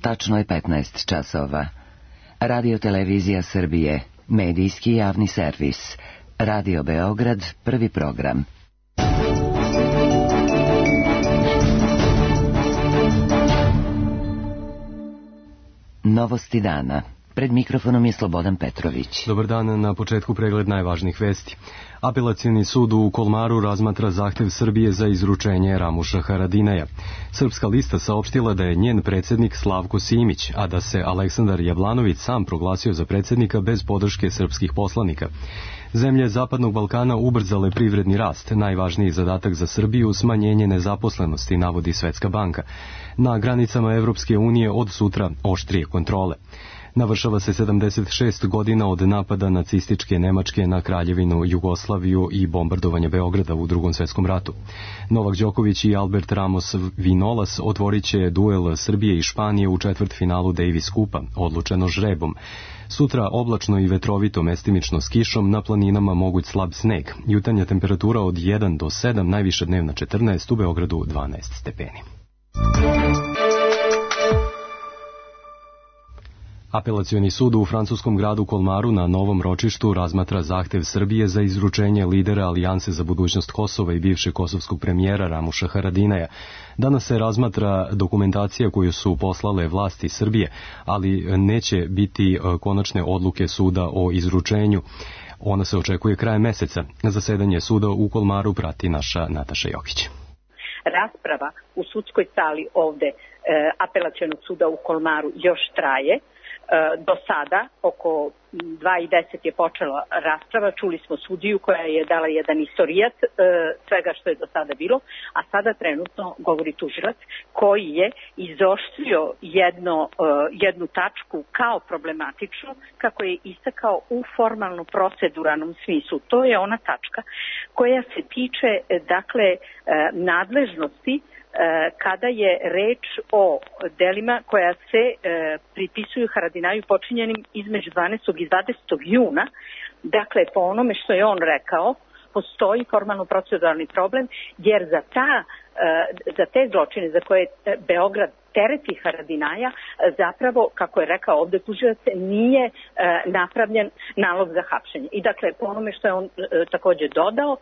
Tačno je 15 časova. Radio Televizija Srbije, medijski javni servis. Radio Beograd, prvi program. Novosti dana. Pred mikrofonom je Slobodan Petrović. Dobar dan, na početku pregled najvažnijih vesti. Apelacioni sud u Kolmaru razmatra zahtev Srbije za izručenje Ramuša Haradinaja. Srpska lista saopštila da je njen predsjednik Slavko Simić, a da se Aleksandar Jablanović sam proglasio za predsjednika bez podrške srpskih poslanika. Zemlje Zapadnog Balkana ubrzale privredni rast, najvažniji zadatak za Srbiju smanjenje nezaposlenosti, navodi Svetska banka. Na granicama Evropske unije od sutra oštrije kontrole. Navršava se 76 godina od napada nacističke Nemačke na Kraljevinu Jugoslaviju i bombardovanja Beograda u Drugom svjetskom ratu. Novak Đoković i Albert Ramos Vinolas otvorit će duel Srbije i Španije u četvrtfinalu Davis Kupa, odlučeno žrebom. Sutra oblačno i vetrovito, mestimično s kišom, na planinama moguć slab sneg. Jutarnja temperatura od 1 do 7, najviša dnevna 14, u Beogradu 12 stepeni. Apelacioni sud u francuskom gradu Kolmaru na novom ročištu razmatra zahtev Srbije za izručenje lidera Alijanse za budućnost Kosova i bivšeg kosovskog premijera Ramuša Haradinaja. Danas se razmatra dokumentacija koju su poslale vlasti Srbije, ali neće biti konačne odluke suda o izručenju. Ona se očekuje krajem meseca. Zasedanje suda u Kolmaru prati naša Nataša Jokić. Rasprava u sudskoj sali ovde Apelacionog suda u Kolmaru još traje. Do sada, oko 2:10 je počela rasprava, čuli smo sudiju koja je dala jedan istorijat svega što je do sada bilo, a sada trenutno govori tužilac koji je izoštrio jednu tačku kao problematičnu, kako je istakao u formalno proceduralnom smislu. To je ona tačka koja se tiče, dakle, nadležnosti kada je reč o delima koja se pripisuju Haradinaju počinjenim između 12. i 20. juna. Dakle, po onome što je on rekao, postoji formalno proceduralni problem, jer za te zločine za koje Beograd tereti Haradinaja, zapravo, kako je rekao ovde tužilac, nije napravljen nalog za hapšenje. I dakle, po onome što je on također dodao,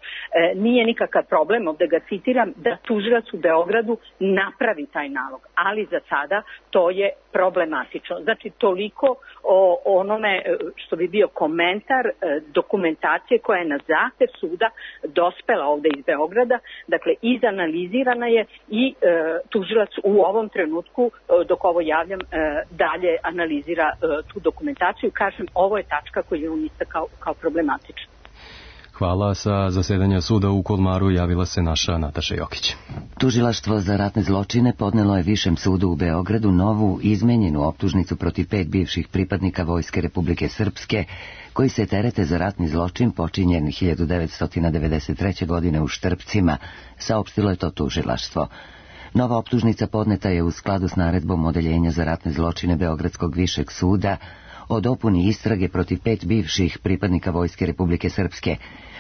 nije nikakav problem, ovde ga citiram, da tužilac u Beogradu napravi taj nalog. Ali za sada to je problematično. Znači, toliko o onome što bi bio komentar dokumentacije koja je na zahtev suda dospela ovde iz Beograda. Dakle, izanalizirana je i tužilac u ovom trenutku, dok ovo javljam, dalje analizira tu dokumentaciju. Kažem, ovo je tačka koju je on istakao kao problematična. Hvala. Sa zasedanja suda u Kolmaru javila se naša Nataša Jokić. Tužilaštvo za ratne zločine podnelo je Višem sudu u Beogradu novu izmenjenu optužnicu protiv 5 bivših pripadnika Vojske Republike Srpske koji se terete za ratni zločin počinjen 1993. godine u Štrpcima, saopštilo je to tužilaštvo. Nova optužnica podneta je u skladu s naredbom Odeljenja za ratne zločine Beogradskog višeg suda o dopuni istrage protiv 5 bivših pripadnika Vojske Republike Srpske,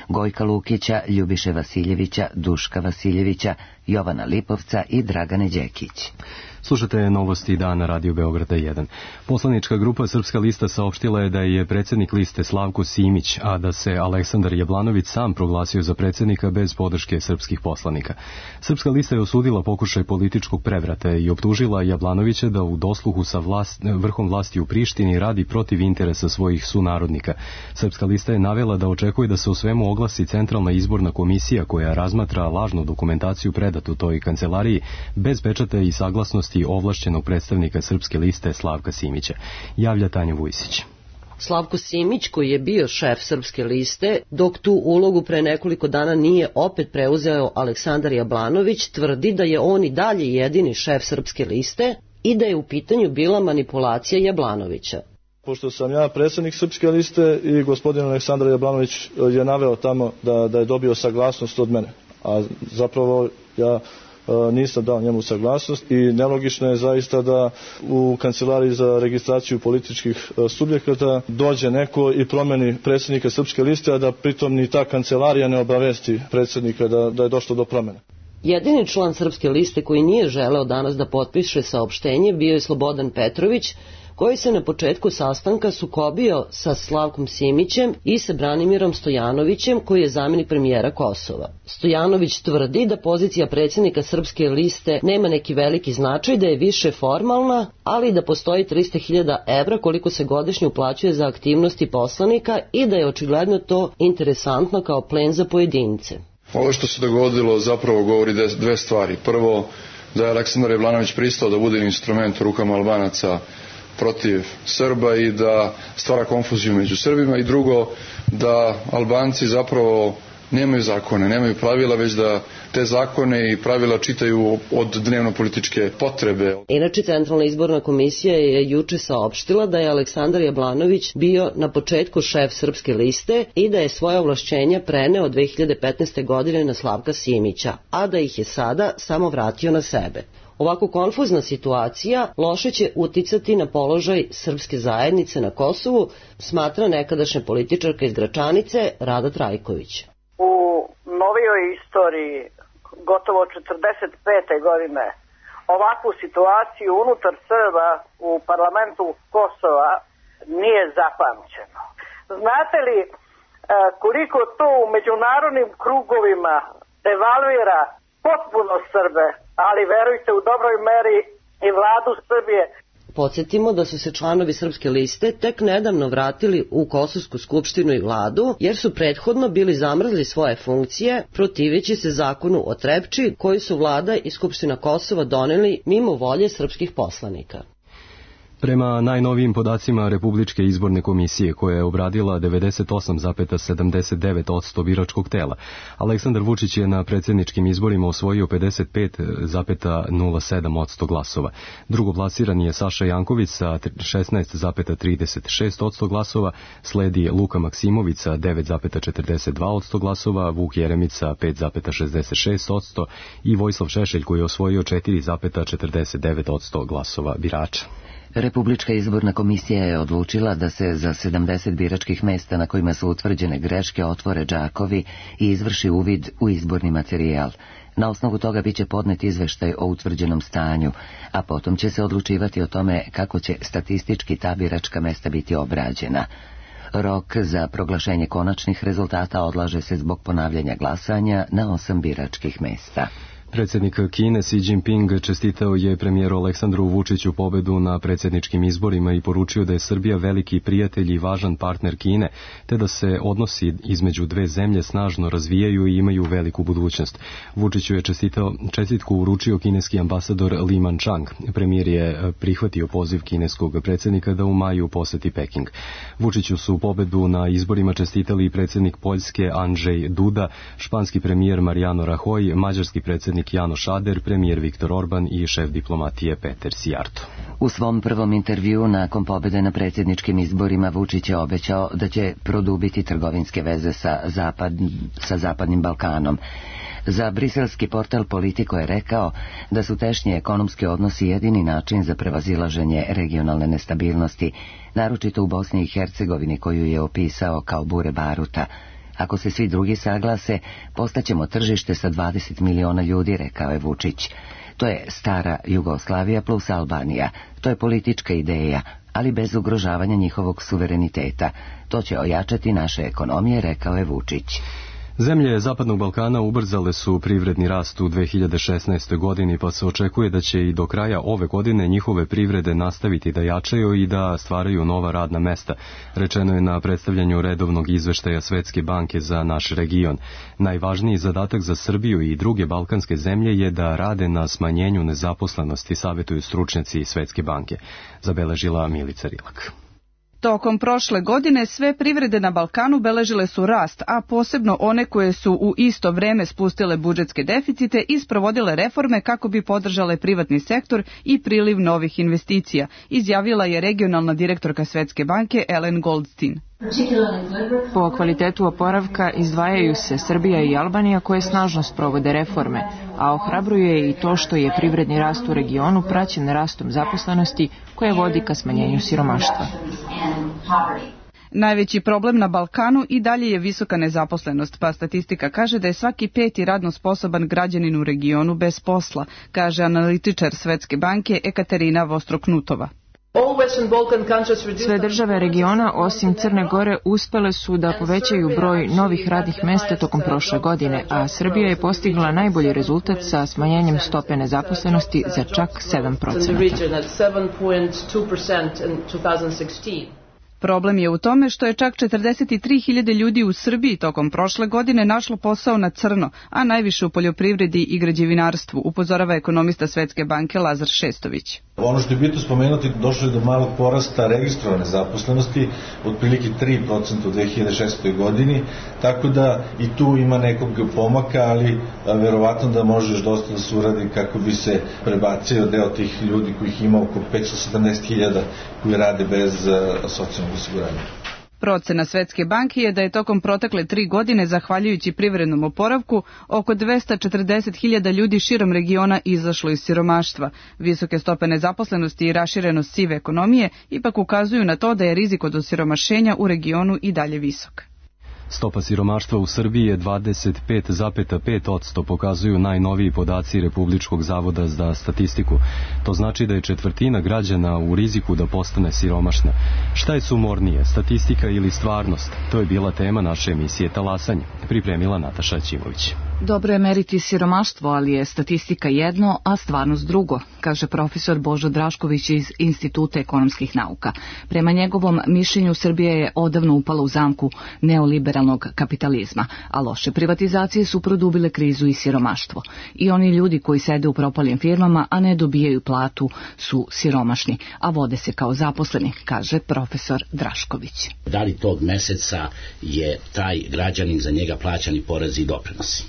Gojka Lukića, Ljubiše Vasiljevića, Duška Vasiljevića, Jovana Lipovca i Dragane Đekić. Slušate novosti dana Radio Beograda 1. Poslanička grupa Srpska lista saopštila je da je predsjednik liste Slavko Simić, a da se Aleksandar Jablanović sam proglasio za predsjednika bez podrške srpskih poslanika. Srpska lista je osudila pokušaj političkog prevrata i optužila Jablanovića da u dosluhu sa vrhom vlasti u Prištini radi protiv interesa svojih sunarodnika. Srpska lista je navela da očekuje da se o svemu oglasi Centralna izborna komisija koja razmatra lažnu dokumentaciju predatu toj kancelariji bez pečata i saglasnosti ovlašćenog predstavnika Srpske liste Slavka Simića. Javlja Tanja Vujsić. Slavko Simić, koji je bio šef Srpske liste, dok tu ulogu pre nekoliko dana nije opet preuzeo Aleksandar Jablanović, tvrdi da je on i dalje jedini šef Srpske liste i da je u pitanju bila manipulacija Jablanovića. Pošto sam ja predsjednik Srpske liste i gospodin Aleksandar Jablanović je naveo tamo da je dobio saglasnost od mene, a zapravo ja nisam dao njemu saglasnost i nelogično je zaista da u kancelariji za registraciju političkih subjekata dođe neko i promeni predsjednika Srpske liste, a da pritom ni ta kancelarija ne obavesti predsjednika da je došlo do promjene. Jedini član Srpske liste koji nije želeo danas da potpiše saopštenje bio je Slobodan Petrović, koji se na početku sastanka sukobio sa Slavkom Simićem i sa Branimirom Stojanovićem, koji je zamenik premijera Kosova. Stojanović tvrdi da pozicija predsjednika Srpske liste nema neki veliki značaj, da je više formalna, ali da postoji 300.000 evra koliko se godišnje uplaćuje za aktivnosti poslanika i da je očigledno to interesantno kao plen za pojedince. Ovo što se dogodilo zapravo govori dve stvari. Prvo, da je Aleksandar Jablanović pristao da bude instrument u rukama Albanaca protiv Srba i da stvara konfuziju među Srbima, i drugo, da Albanci zapravo nemaju zakone, nemaju pravila, već da te zakone i pravila čitaju od dnevno-političke potrebe. Inače, Centralna izborna komisija je juče saopštila da je Aleksandar Jablanović bio na početku šef Srpske liste i da je svoje ovlašćenja preneo 2015. godine na Slavka Simića, a da ih je sada samo vratio na sebe. Ovako konfuzna situacija loše će uticati na položaj srpske zajednice na Kosovu, smatra nekadašnja političarka iz Gračanice Rada Trajković. U novijoj istoriji, gotovo 45. godine, ovakvu situaciju unutar Srba u parlamentu Kosova nije zapamćeno. Znate li koliko to u međunarodnim krugovima devalvira potpuno Srbe, ali verujte u dobroj meri i vladu Srbije. Podsjetimo da su se članovi Srpske liste tek nedavno vratili u Kosovsku skupštinu i vladu, jer su prethodno bili zamrzli svoje funkcije, protiveći se zakonu o Trepči, koji su vlada i Skupština Kosova doneli mimo volje srpskih poslanika. Prema najnovijim podacima Republičke izborne komisije, koja je obradila 98,79% biračkog tela, Aleksandar Vučić je na predsjedničkim izborima osvojio 55,07% glasova. Drugoplasirani je Saša Janković sa 16,36% glasova, sledi Luka Maksimović sa 9,42% glasova, Vuk Jeremić sa 5,66% i Vojislav Šešelj, koji je osvojio 4,49% glasova birača. Republička izborna komisija je odlučila da se za 70 biračkih mesta na kojima su utvrđene greške otvore džakovi i izvrši uvid u izborni materijal. Na osnovu toga biće podnet izveštaj o utvrđenom stanju, a potom će se odlučivati o tome kako će statistički ta biračka mesta biti obrađena. Rok za proglašenje konačnih rezultata odlaže se zbog ponavljanja glasanja na 8 biračkih mesta. Predsjednik Kine Xi Jinping čestitao je premijeru Aleksandru Vučiću pobedu na predsjedničkim izborima i poručio da je Srbija veliki prijatelj i važan partner Kine, te da se odnosi između dve zemlje snažno razvijaju i imaju veliku budućnost. Vučiću je čestitku uručio kineski ambasador Li Manchang. Premijer je prihvatio poziv kineskog predsjednika da u maju poseti Peking. Vučiću su pobedu na izborima čestitali i predsjednik Poljske Andrzej Duda, španski premijer Mariano Rajoy, mađarski predsjednik Janoš Šader, premijer Viktor Orban i šef diplomatije Peter Sijarto. U svom prvom intervjuu nakon pobjede na predsjedničkim izborima Vučić je obećao da će produbiti trgovinske veze sa Zapadnim Balkanom. Za briselski portal Politico je rekao da su tešnji ekonomski odnosi jedini način za prevazilaženje regionalne nestabilnosti, naročito u Bosni i Hercegovini, koju je opisao kao bure baruta. Ako se svi drugi saglase, postaćemo tržište sa 20 miliona ljudi, rekao je Vučić. To je stara Jugoslavija plus Albanija. To je politička ideja, ali bez ugrožavanja njihovog suvereniteta. To će ojačati naše ekonomije, rekao je Vučić. Zemlje Zapadnog Balkana ubrzale su privredni rast u 2016. godini, pa se očekuje da će i do kraja ove godine njihove privrede nastaviti da jačaju i da stvaraju nova radna mesta, rečeno je na predstavljanju redovnog izveštaja Svetske banke za naš region. Najvažniji zadatak za Srbiju i druge balkanske zemlje je da rade na smanjenju nezaposlenosti, savjetuju stručnjaci Svetske banke, zabeležila Milica Rilak. Tokom prošle godine sve privrede na Balkanu beležile su rast, a posebno one koje su u isto vreme spustile budžetske deficite i sprovodile reforme kako bi podržale privatni sektor i priliv novih investicija, izjavila je regionalna direktorka Svetske banke Ellen Goldstein. Po kvalitetu oporavka izdvajaju se Srbija i Albanija koje snažno sprovode reforme, a ohrabruje i to što je privredni rast u regionu praćen rastom zaposlenosti koje vodi ka smanjenju siromaštva. Najveći problem na Balkanu i dalje je visoka nezaposlenost, pa statistika kaže da je svaki 5. radno sposoban građanin u regionu bez posla, kaže analitičar Svetske banke Ekaterina Vostroknutova. Sve države regiona, osim Crne Gore, uspele su da povećaju broj novih radnih mesta tokom prošle godine, a Srbija je postigla najbolji rezultat sa smanjenjem stope nezaposlenosti za čak 7%. Problem je u tome što je čak 43.000 ljudi u Srbiji tokom prošle godine našlo posao na crno, a najviše u poljoprivredi i građevinarstvu, upozorava ekonomista Svetske banke Lazar Šestović. Ono što je bitno spomenuti, došlo je do malog porasta registrovane zaposlenosti, otprilike 3% u 2016. godini, tako da i tu ima nekog pomaka, ali verovatno da može još dosta da se uradi kako bi se prebacio deo tih ljudi kojih ima oko 517.000 koji rade bez socijalnog osiguranja. Procena Svetske banke je da je tokom protekle 3 godine, zahvaljujući privrednom oporavku, oko 240.000 ljudi širom regiona izašlo iz siromaštva. Visoke stope nezaposlenosti i raširenost sive ekonomije ipak ukazuju na to da je rizik od osiromašenja u regionu i dalje visok. Stopa siromaštva u Srbiji je 25,5%, pokazuju najnoviji podaci Republičkog zavoda za statistiku. To znači da je 1/4 građana u riziku da postane siromašna. Šta je sumornije, statistika ili stvarnost? To je bila tema naše emisije Talasanje. Pripremila Nataša Ćimović. Dobro je meriti siromaštvo, ali je statistika jedno, a stvarnost drugo, kaže profesor Božo Drašković iz Instituta ekonomskih nauka. Prema njegovom mišljenju Srbija je odavno upala u zamku neoliberalnog kapitalizma, a loše privatizacije su produbile krizu i siromaštvo. I oni ljudi koji sede u propalim firmama, a ne dobijaju platu, su siromašni, a vode se kao zaposleni, kaže profesor Drašković. Da li tog meseca je taj građanin za njega plaćani porezi i doprinosi?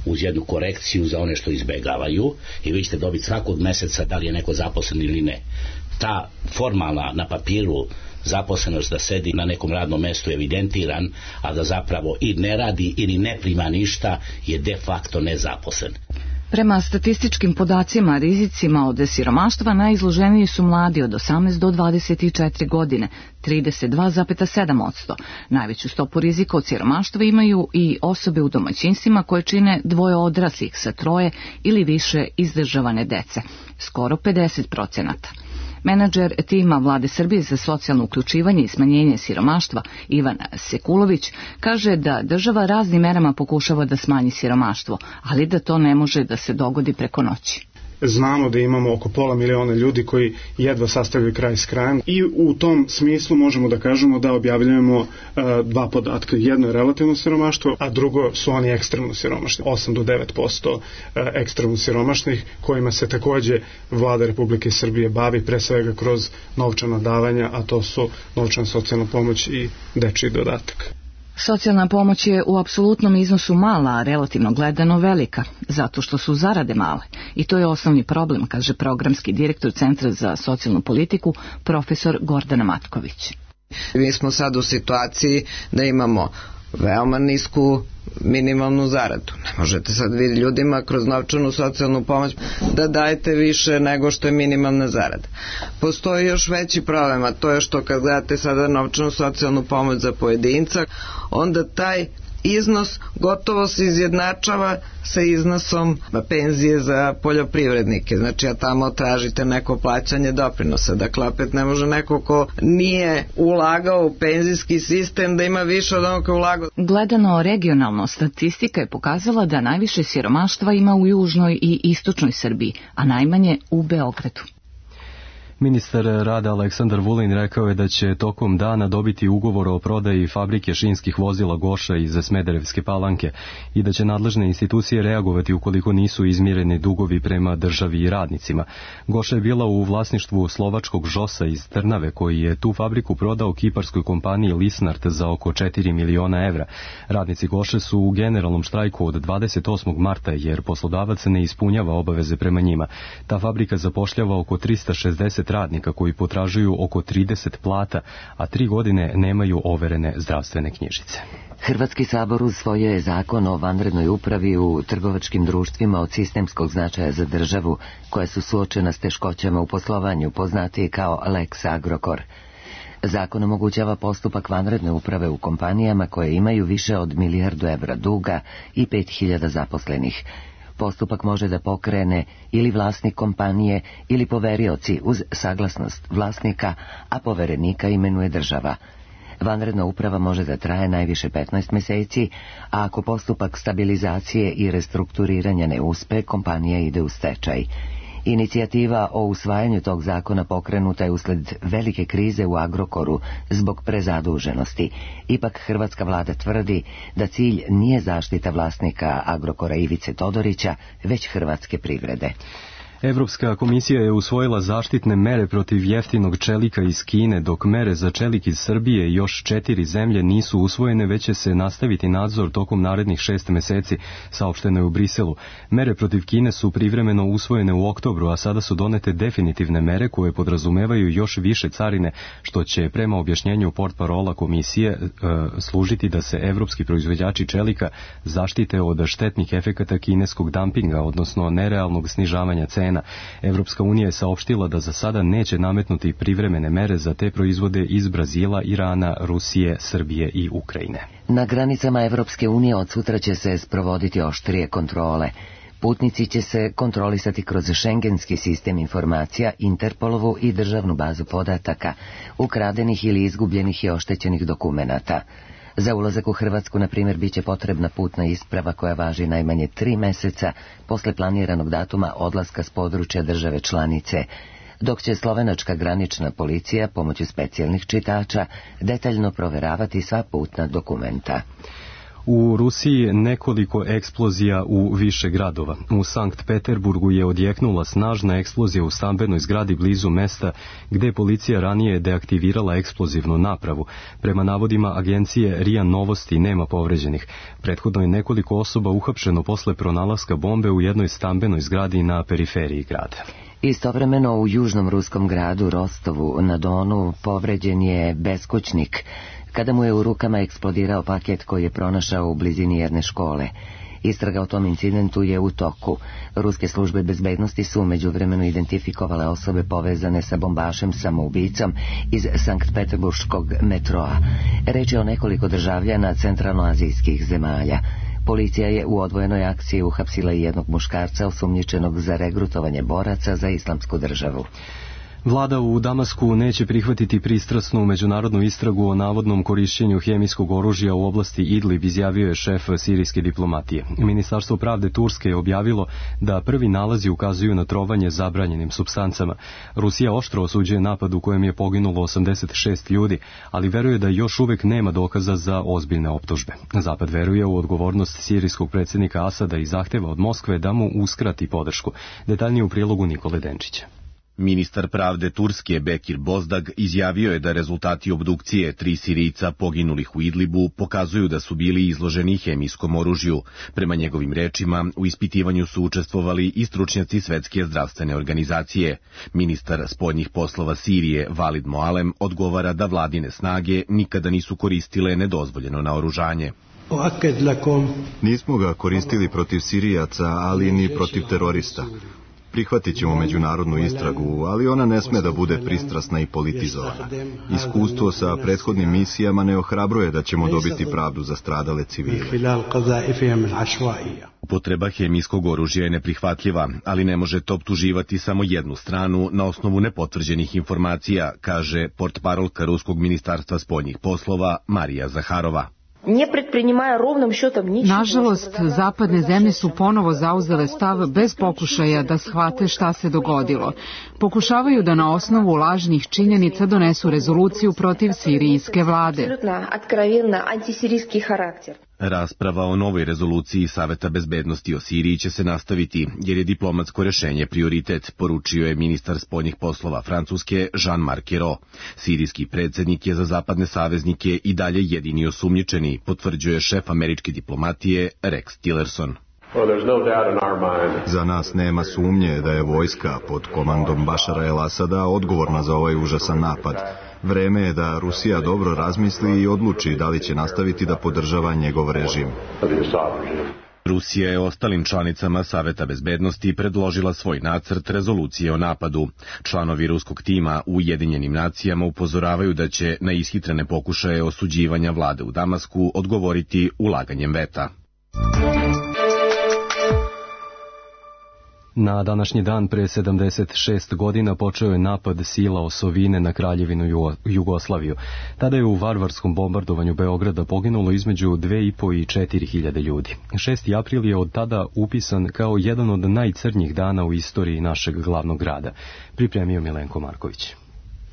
Uz jednu korekciju za one što izbegavaju i vi ćete dobiti svakog meseca da li je neko zaposlen ili ne. Ta formalna na papiru zaposlenost da sedi na nekom radnom mestu evidentiran, a da zapravo i ne radi ili ne prima ništa je de facto nezaposlen. Prema statističkim podacima, rizicima od siromaštva najizloženiji su mladi od 18 do 24 godine, 32,7%. Najveću stopu rizika od siromaštva imaju i osobe u domaćinstvima koje čine 2 odraslih sa 3 ili više izdržavane dece, skoro 50%. Menadžer tima Vlade Srbije za socijalno uključivanje i smanjenje siromaštva Ivan Sekulović kaže da država raznim merama pokušava da smanji siromaštvo, ali da to ne može da se dogodi preko noći. Znamo da imamo oko 500.000 ljudi koji jedva sastavljaju kraj s krajem i u tom smislu možemo da kažemo da objavljujemo 2 podatka. Jedno je relativno siromaštvo, a drugo su oni ekstremno siromašni. 8 do 9% ekstremno siromašnih kojima se takođe Vlada Republike Srbije bavi pre svega kroz novčana davanja, a to su novčana socijalna pomoć i dečiji dodatak. Socijalna pomoć je u apsolutnom iznosu mala, a relativno gledano velika, zato što su zarade male. I to je osnovni problem, kaže programski direktor Centra za socijalnu politiku, profesor Gordana Matković. Mi smo sad u situaciji da imamo veoma nisku minimalnu zaradu. Ne možete sad vidjeti ljudima kroz novčanu socijalnu pomoć da dajete više nego što je minimalna zarada. Postoji još veći problem, a to je što kad gledate sada novčanu socijalnu pomoć za pojedinca, onda taj iznos gotovo se izjednačava sa iznosom penzije za poljoprivrednike. Znači, a tamo tražite neko plaćanje doprinosa. Dakle, opet ne može neko ko nije ulagao u penzijski sistem da ima više od onog ko ulagao. Gledano regionalno, statistika je pokazala da najviše siromaštva ima u južnoj i istočnoj Srbiji, a najmanje u Beogradu. Ministar rada Aleksandar Vulin rekao je da će tokom dana dobiti ugovor o prodaji fabrike šinskih vozila Goša iz Smederevske Palanke i da će nadležne institucije reagovati ukoliko nisu izmireni dugovi prema državi i radnicima. Goša je bila u vlasništvu slovačkog Žosa iz Trnave, koji je tu fabriku prodao kiparskoj kompaniji Lisnart za oko 4 miliona evra. Radnici Goše su u generalnom štrajku od 28. marta jer poslodavac ne ispunjava obaveze prema njima. Ta fabrika zapošljava oko 360 radnika koji potražuju oko 30 plata, a 3 godine nemaju overene zdravstvene knjižice. Hrvatski sabor usvojio je zakon o vanrednoj upravi u trgovačkim društvima od sistemskog značaja za državu, koja su suočena s teškoćama u poslovanju, poznatiji kao Lex Agrokor. Zakon omogućava postupak vanredne uprave u kompanijama koje imaju više od 1 milijardu evra duga i 5.000 zaposlenih. Postupak može da pokrene ili vlasnik kompanije ili poverioci uz saglasnost vlasnika, a poverenika imenuje država. Vanredna uprava može da traje najviše 15 meseci, a ako postupak stabilizacije i restrukturiranja ne uspe, kompanija ide u stečaj. Inicijativa o usvajanju tog zakona pokrenuta je usled velike krize u Agrokoru zbog prezaduženosti. Ipak hrvatska vlada tvrdi da cilj nije zaštita vlasnika Agrokora Ivice Todorića, već hrvatske privrede. Evropska komisija je usvojila zaštitne mere protiv jeftinog čelika iz Kine, dok mere za čelik iz Srbije i još 4 zemlje nisu usvojene, već će se nastaviti nadzor tokom narednih 6 meseci, saopšteno je u Briselu. Mere protiv Kine su privremeno usvojene u oktobru, a sada su donete definitivne mere koje podrazumevaju još više carine, što će prema objašnjenju portparola komisije služiti da se evropski proizvođači čelika zaštite od štetnih efekata kineskog dampinga, odnosno nerealnog snižavanja cena. Evropska unija je saopštila da za sada neće nametnuti privremene mere za te proizvode iz Brazila, Irana, Rusije, Srbije i Ukrajine. Na granicama Evropske unije od sutra će se sprovoditi oštrije kontrole. Putnici će se kontrolisati kroz šengenski sistem informacija, Interpolovu i državnu bazu podataka, ukradenih ili izgubljenih i oštećenih dokumenata. Za ulazak u Hrvatsku, na primjer, bit će potrebna putna isprava koja važi najmanje 3 meseca posle planiranog datuma odlaska s područja države članice, dok će slovenačka granična policija pomoću specijalnih čitača detaljno proveravati sva putna dokumenta. U Rusiji nekoliko eksplozija u više gradova. U Sankt Peterburgu je odjeknula snažna eksplozija u stambenoj zgradi blizu mesta gde je policija ranije deaktivirala eksplozivnu napravu. Prema navodima agencije RIA Novosti nema povređenih. Prethodno je nekoliko osoba uhapšeno posle pronalaska bombe u jednoj stambenoj zgradi na periferiji grada. Istovremeno u južnom ruskom gradu Rostovu na Donu povređen je beskućnik kada mu je u rukama eksplodirao paket koji je pronašao u blizini jedne škole. Istraga o tom incidentu je u toku. Ruske službe bezbednosti su međuvremeno identifikovale osobe povezane sa bombašem samoubicom iz Sankt Peterburškog metroa. Reč je o nekoliko državljana centralnoazijskih zemalja. Policija je u odvojenoj akciji uhapsila i jednog muškarca osumnjičenog za regrutovanje boraca za islamsku državu. Vlada u Damasku neće prihvatiti pristrasnu međunarodnu istragu o navodnom korišćenju hemijskog oružja u oblasti Idlib, izjavio je šef sirijske diplomatije. Ministarstvo pravde Turske je objavilo da prvi nalazi ukazuju na trovanje zabranjenim supstancama. Rusija oštro osuđuje napad u kojem je poginulo 86 ljudi, ali veruje da još uvek nema dokaza za ozbiljne optužbe. Zapad veruje u odgovornost sirijskog predsjednika Asada i zahteva od Moskve da mu uskrati podršku. Detaljnije u prilogu Nikole Denčića. Ministar pravde Turske Bekir Bozdag izjavio je da rezultati obdukcije 3 Sirijca poginulih u Idlibu pokazuju da su bili izloženi hemijskom oružju. Prema njegovim rečima, u ispitivanju su učestvovali i stručnjaci Svetske zdravstvene organizacije. Ministar spoljnih poslova Sirije Valid Moalem odgovara da vladine snage nikada nisu koristile nedozvoljeno naoružanje. Nismo ga koristili protiv Sirijaca, ali ni protiv terorista. Prihvatit ćemo međunarodnu istragu, ali ona ne sme da bude pristrasna i politizovana. Iskustvo sa prethodnim misijama ne ohrabruje da ćemo dobiti pravdu za stradale civile. Upotreba hemijskog oružja je neprihvatljiva, ali ne možete optuživati samo jednu stranu na osnovu nepotvrđenih informacija, kaže portparolka Ruskog ministarstva spoljnih poslova Marija Zaharova. Nažalost, zapadne zemlje su ponovo zauzele stav bez pokušaja da shvate šta se dogodilo. Pokušavaju da na osnovu lažnih činjenica donesu rezoluciju protiv sirijske vlade. Rasprava o novoj rezoluciji Saveta bezbednosti o Siriji će se nastaviti, jer je diplomatsko rešenje prioritet, poručio je ministar spoljnih poslova Francuske Jean-Marc Ayrault. Sirijski predsjednik je za zapadne saveznike i dalje jedini osumnjičeni, potvrđuje šef američke diplomatije Rex Tillerson. Za nas nema sumnje da je vojska pod komandom Bašara el-Asada odgovorna za ovaj užasan napad. Vreme je da Rusija dobro razmisli i odluči da li će nastaviti da podržava njegov režim. Rusija je ostalim članicama Saveta bezbednosti predložila svoj nacrt rezolucije o napadu. Članovi ruskog tima u Ujedinjenim nacijama upozoravaju da će na ishitrene pokušaje osuđivanja vlade u Damasku odgovoriti ulaganjem veta. Na današnji dan pre 76 godina počeo je napad sila osovine na Kraljevinu Jugoslaviju. Tada je u varvarskom bombardovanju Beograda poginulo između 2.500 i 4.000 ljudi. 6. april je od tada upisan kao jedan od najcrnjih dana u istoriji našeg glavnog grada. Pripremio Milenko Marković.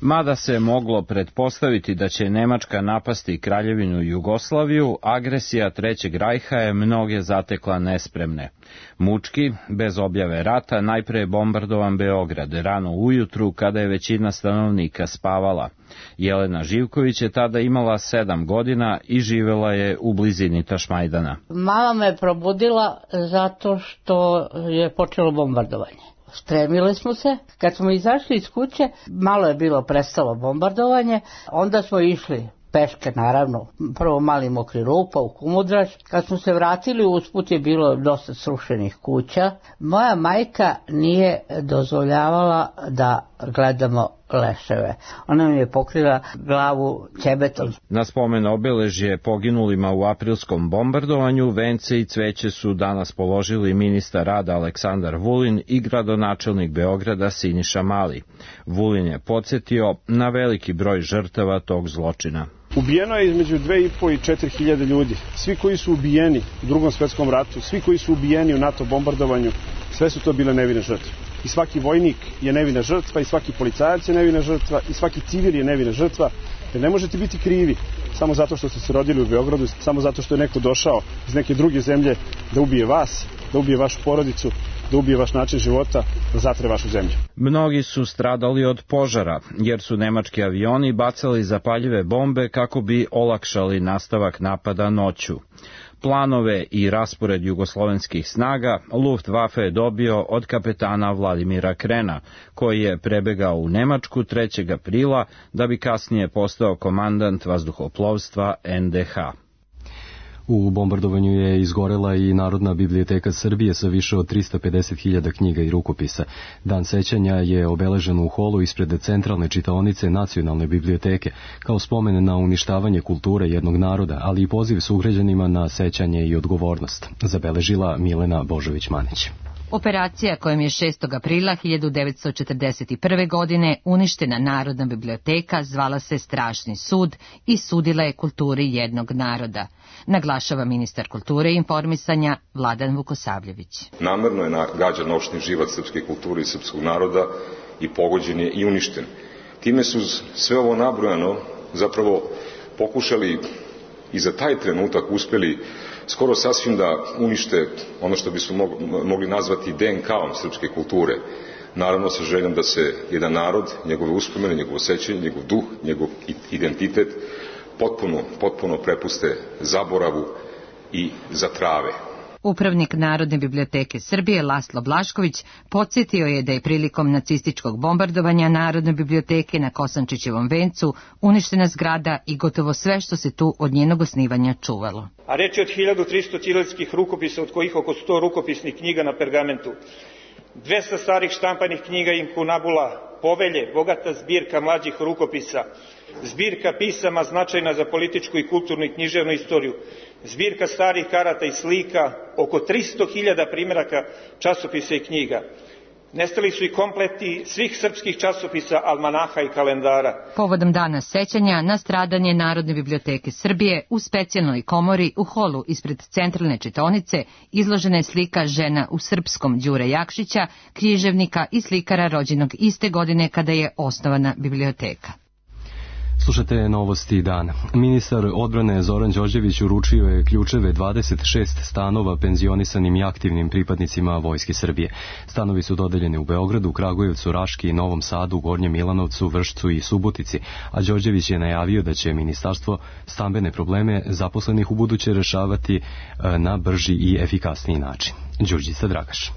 Mada se moglo pretpostaviti da će Nemačka napasti Kraljevinu Jugoslaviju, agresija Trećeg rajha je mnoge zatekla nespremne. Mučki, bez objave rata, najpre je bombardovan Beograd rano ujutru kada je većina stanovnika spavala. Jelena Živković je tada imala 7 godina i živela je u blizini Tašmajdana. Mama me probudila zato što je počelo bombardovanje. Spremili smo se, kad smo izašli iz kuće, malo je bilo prestalo bombardovanje, onda smo išli peške, naravno, prvo mali mokri rupa u Kumodraž. Kad smo se vratili, usput je bilo dosta srušenih kuća. Moja majka nije dozvoljavala da gledamo leševe. Ona mi je pokrila glavu ćebetom. Na spomen obeležje poginulima u aprilskom bombardovanju vence i cveće su danas položili ministar rada Aleksandar Vulin i gradonačelnik Beograda Siniša Mali. Vulin je podsjetio na veliki broj žrtava tog zločina. Ubijeno je između 2.500 i 4.000 ljudi. Svi koji su ubijeni u Drugom svetskom ratu, svi koji su ubijeni u NATO bombardovanju, sve su to bile nevine žrtve. I svaki vojnik je nevina žrtva, i svaki policajac je nevina žrtva, i svaki civil je nevina žrtva. Jer ne možete biti krivi samo zato što ste se rodili u Beogradu, samo zato što je neko došao iz neke druge zemlje da ubije vas, da ubije vašu porodicu, da ubije vaš način života, da zatre vašu zemlju. Mnogi su stradali od požara, jer su nemački avioni bacali zapaljive bombe kako bi olakšali nastavak napada noću. Planove i raspored jugoslovenskih snaga Luftwaffe je dobio od kapetana Vladimira Krena, koji je prebegao u Nemačku 3. aprila da bi kasnije postao komandant vazduhoplovstva NDH. U bombardovanju je izgorela i Narodna biblioteka Srbije sa više od 350.000 knjiga i rukopisa. Dan sećanja je obeležen u holu ispred centralne čitaonice Nacionalne biblioteke, kao spomen na uništavanje kulture jednog naroda, ali i poziv sugrađanima na sećanje i odgovornost, zabeležila Milena Božović-Manić. Operacija kojom je 6. aprila 1941. godine uništena Narodna biblioteka zvala se Strašni sud i sudila je kulturi jednog naroda, naglašava ministar kulture i informisanja Vladan Vukosavljević. Namerno je gađan noćni život srpske kulture i srpskog naroda i pogođen je i uništen. Time su sve ovo nabrojano zapravo pokušali i za taj trenutak uspeli skoro sasvim da unište ono što bismo mogli nazvati DNK-om srpske kulture. Naravno sa željom da se jedan narod, njegove uspomene, njegovo sećanje, njegov duh, njegov identitet potpuno prepuste zaboravu i zatrave. Upravnik Narodne biblioteke Srbije Laslo Blašković podsjetio je da je prilikom nacističkog bombardovanja Narodne biblioteke na Kosančićevom vencu uništena zgrada i gotovo sve što se tu od njenog osnivanja čuvalo. A reč je od 1300 ćirilskih rukopisa, od kojih oko 100 rukopisnih knjiga na pergamentu, 200 starih štampanih knjiga inkunabula, povelje, bogata zbirka mlađih rukopisa, zbirka pisama značajna za političku i kulturnu i književnu istoriju, zbirka starih karata i slika, oko 300.000 primjeraka časopisa i knjiga. Nestali su i kompleti svih srpskih časopisa, almanaha i kalendara. Povodom dana sećanja na stradanje Narodne biblioteke Srbije u specijalnoj komori u holu ispred centralne čitaonice izložena je slika žena u srpskom Đure Jakšića, književnika i slikara rođenog iste godine kada je osnovana biblioteka. Slušate novosti dana. Ministar odbrane Zoran Đorđević uručio je ključeve 26 stanova penzionisanim i aktivnim pripadnicima Vojske Srbije. Stanovi su dodeljeni u Beogradu, Kragujevcu, Raški, Novom Sadu, Gornjem Milanovcu, Vršcu i Subotici, a Đorđević je najavio da će ministarstvo stambene probleme zaposlenih ubuduće rešavati na brži i efikasniji način. Đurđica Dragaš.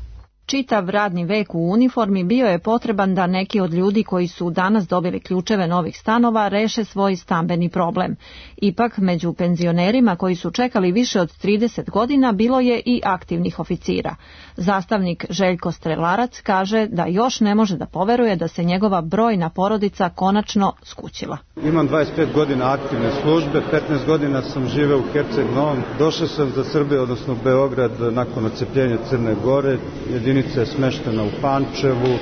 čitav radni vek u uniformi bio je potreban da neki od ljudi koji su danas dobili ključeve novih stanova reše svoj stambeni problem. Ipak, među penzionerima koji su čekali više od 30 godina bilo je i aktivnih oficira. Zastavnik Željko Strelarac kaže da još ne može da poveruje da se njegova brojna porodica konačno skućila. Imam 25 godina aktivne službe, 15 godina sam živeo u Herceg Novom. Došao sam za Srbiju, odnosno Beograd, nakon odcepljenja Crne Gore. Jedinica je smeštena u Pančevu.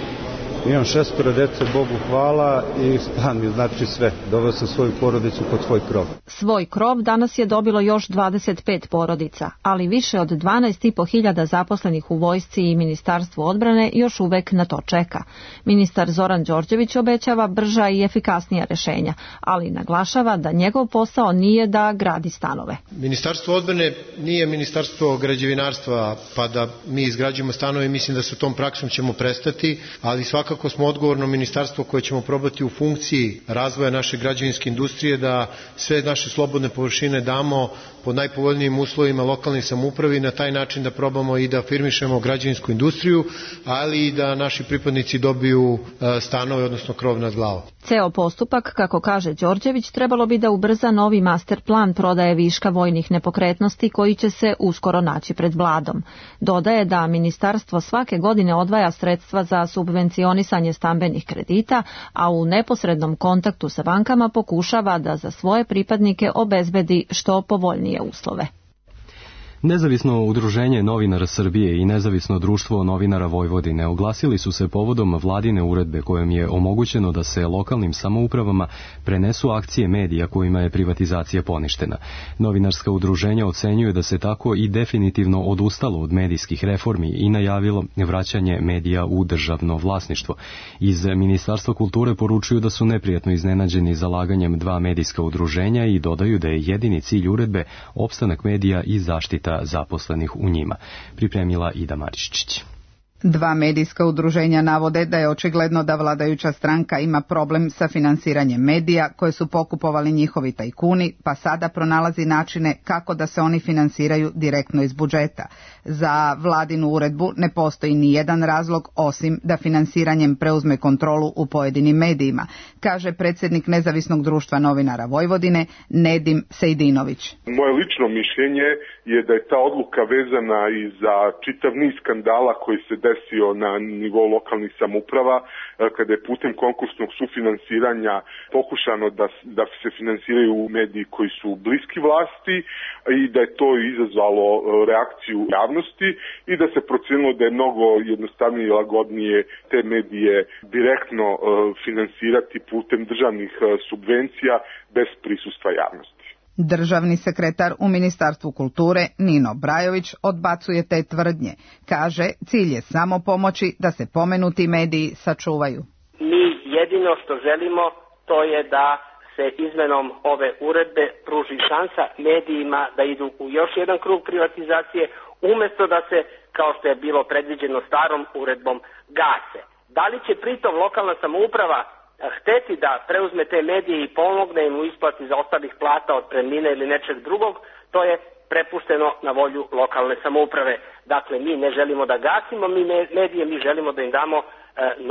Imam 6 dece, Bogu hvala, i stan mi znači sve. Doveo sam svoju porodicu pod svoj krov. Svoj krov danas je dobilo još 25 porodica, ali više od 12.500 zaposlenih u vojsci i Ministarstvu odbrane još uvek na to čeka. Ministar Zoran Đorđević obećava brža i efikasnija rešenja, ali naglašava da njegov posao nije da gradi stanove. Ministarstvo odbrane nije ministarstvo građevinarstva, pa da mi izgrađujemo stanove, mislim da sa tom praksom ćemo prestati, ali svakako smo odgovorno ministarstvo koje ćemo probati u funkciji razvoja naše građevinske industrije da sve naše slobodne površine damo pod najpovoljnijim uslovima lokalnih samoupravi i na taj način da probamo i da afirmišemo građevinsku industriju, ali i da naši pripadnici dobiju stanove, odnosno krov nad glavom. Ceo postupak, kako kaže Đorđević, trebalo bi da ubrza novi master plan prodaje viška vojnih nepokretnosti koji će se uskoro naći pred Vladom. Dodaje da ministarstvo svake godine odvaja sredstva za subvencionisanje stambenih kredita, a u neposrednom kontaktu sa bankama pokušava da za svoje pripadnike obezbedi što povoljnije uslove. Nezavisno udruženje novinara Srbije i Nezavisno društvo novinara Vojvodine oglasili su se povodom vladine uredbe kojom je omogućeno da se lokalnim samoupravama prenesu akcije medija kojima je privatizacija poništena. Novinarska udruženja ocenjuju da se tako i definitivno odustalo od medijskih reformi i najavilo vraćanje medija u državno vlasništvo. Iz Ministarstva kulture poručuju da su neprijatno iznenađeni zalaganjem dva medijska udruženja i dodaju da je jedini cilj uredbe opstanak medija i zaštita zaposlenih u njima. Pripremila Ida Maričić. Dva medijska udruženja navode da je očigledno da vladajuća stranka ima problem sa finansiranjem medija koje su pokupovali njihovi tajkuni, pa sada pronalazi načine kako da se oni finansiraju direktno iz budžeta. Za vladinu uredbu ne postoji ni jedan razlog osim da finansiranjem preuzme kontrolu u pojedinim medijima, kaže predsjednik Nezavisnog društva novinara Vojvodine Nedim Sejdinović. Moje lično mišljenje je da je ta odluka vezana i za čitav niz skandala koji se desio na nivou lokalnih samouprava, kada je putem konkursnog sufinansiranja pokušano da se finansiraju mediji koji su bliski vlasti i da je to izazvalo reakciju javnosti i da se procenilo da je mnogo jednostavnije i lagodnije te medije direktno finansirati putem državnih subvencija bez prisustva javnosti. Državni sekretar u Ministarstvu kulture Nino Brajović odbacuje te tvrdnje. Kaže, cilj je samo pomoći da se pomenuti mediji sačuvaju. Mi jedino što želimo to je da se izmenom ove uredbe pruži šansa medijima da idu u još jedan krug privatizacije umjesto da se, kao što je bilo predviđeno starom uredbom, gase. Da li će pritom lokalna samouprava hteti da preuzme te medije i pomogne im u isplati za ostalih plata, otpremnine ili nečeg drugog, to je prepušteno na volju lokalne samouprave. Dakle, mi ne želimo da gasimo medije, mi želimo da im damo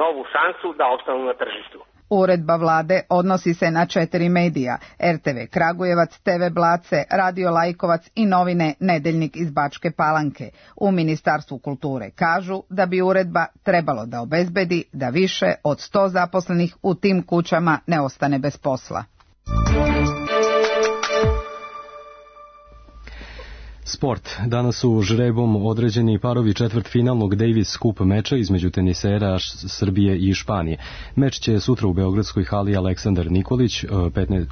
novu šansu da opstanu na tržištu. Uredba vlade odnosi se na 4 medija, RTV Kragujevac, TV Blace, Radio Lajkovac i novine Nedeljnik iz Bačke Palanke. U Ministarstvu kulture kažu da bi uredba trebalo da obezbedi da više od 100 zaposlenih u tim kućama ne ostane bez posla. Sport. Danas su žrebom određeni parovi četvrtfinalnog Davis Cup meča između tenisera Srbije i Španije. Meč će sutra u beogradskoj hali Aleksandar Nikolić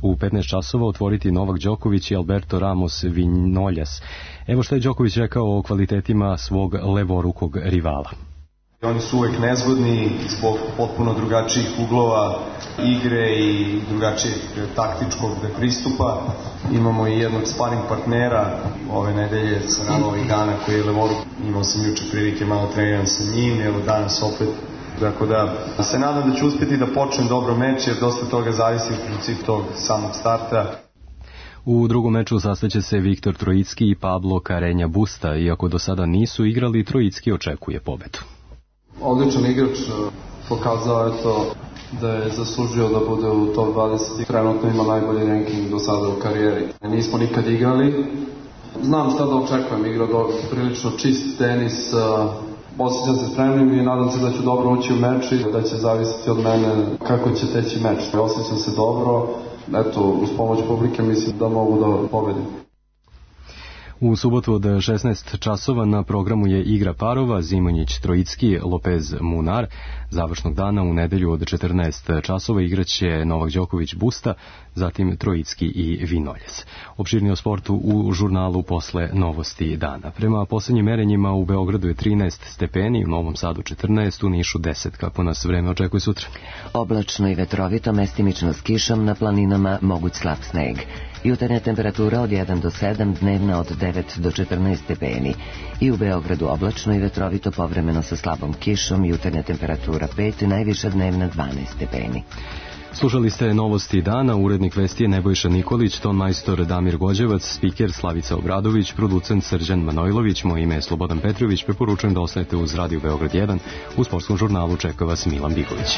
u 15 časova otvoriti Novak Đoković i Alberto Ramos Vinoljas. Evo što je Đoković rekao o kvalitetima svog levorukog rivala. Oni su uvek nezgodni zbog potpuno drugačijih uglova igre i drugačijeg taktičkog pristupa. Imamo i jednog sparing partnera ove nedelje sa nama ovih dana koji je levoruk. Imao sam juče prilike malo treniram sa njim, evo danas opet. Tako da se nadam da ću uspjeti da počnem dobro meč jer dosta toga zavisi u principu tog samog starta. U drugom meču sastaće se Viktor Trojicki i Pablo Carreño Busta, iako do sada nisu igrali, Trojicki očekuje pobedu. Odličan igrač, pokazao je to da je zaslužio da bude u top 20 i trenutno ima najbolji ranking do sada u karijeri. Nismo nikad igrali. Znam šta da očekujem, igra prilično čist tenis, osjećam se spremnim i nadam se da ću dobro ući u meč i da će zavisiti od mene kako će teći meč. Osjećam se dobro, eto, uz pomoć publike mislim da mogu da pobedim. U subotu od 16 časova na programu je igra parova Zimonjić Trojicki, Lopez Munar. Završnog dana u nedelju od 14 časova igraće Novak Đoković Busta, zatim Trojicki i Vinoljes. Opširnije o sportu u žurnalu posle novosti dana. Prema poslednjim merenjima u Beogradu je 13 stepeni, u Novom Sadu 14, u Nišu 10. Kako nas vreme očekuje sutra? Oblačno i vetrovito, mestimično s kišom, na planinama moguć slab sneg. Jutarnja temperatura od 1 do 7, dnevna od 9 do 14 stepeni. I u Beogradu oblačno i vetrovito, povremeno sa slabom kišom, jutarnja temperatura 5, najviša dnevna 12 stepeni. Slušali ste novosti dana, urednik vesti je Nebojša Nikolić, ton majstor Damir Gođevac, spiker Slavica Obradović, producent Srđan Manojlović, moje ime je Slobodan Petrović, preporučujem da ostanete uz Radio Beograd 1, u sportskom žurnalu čeka vas Milan Bigović.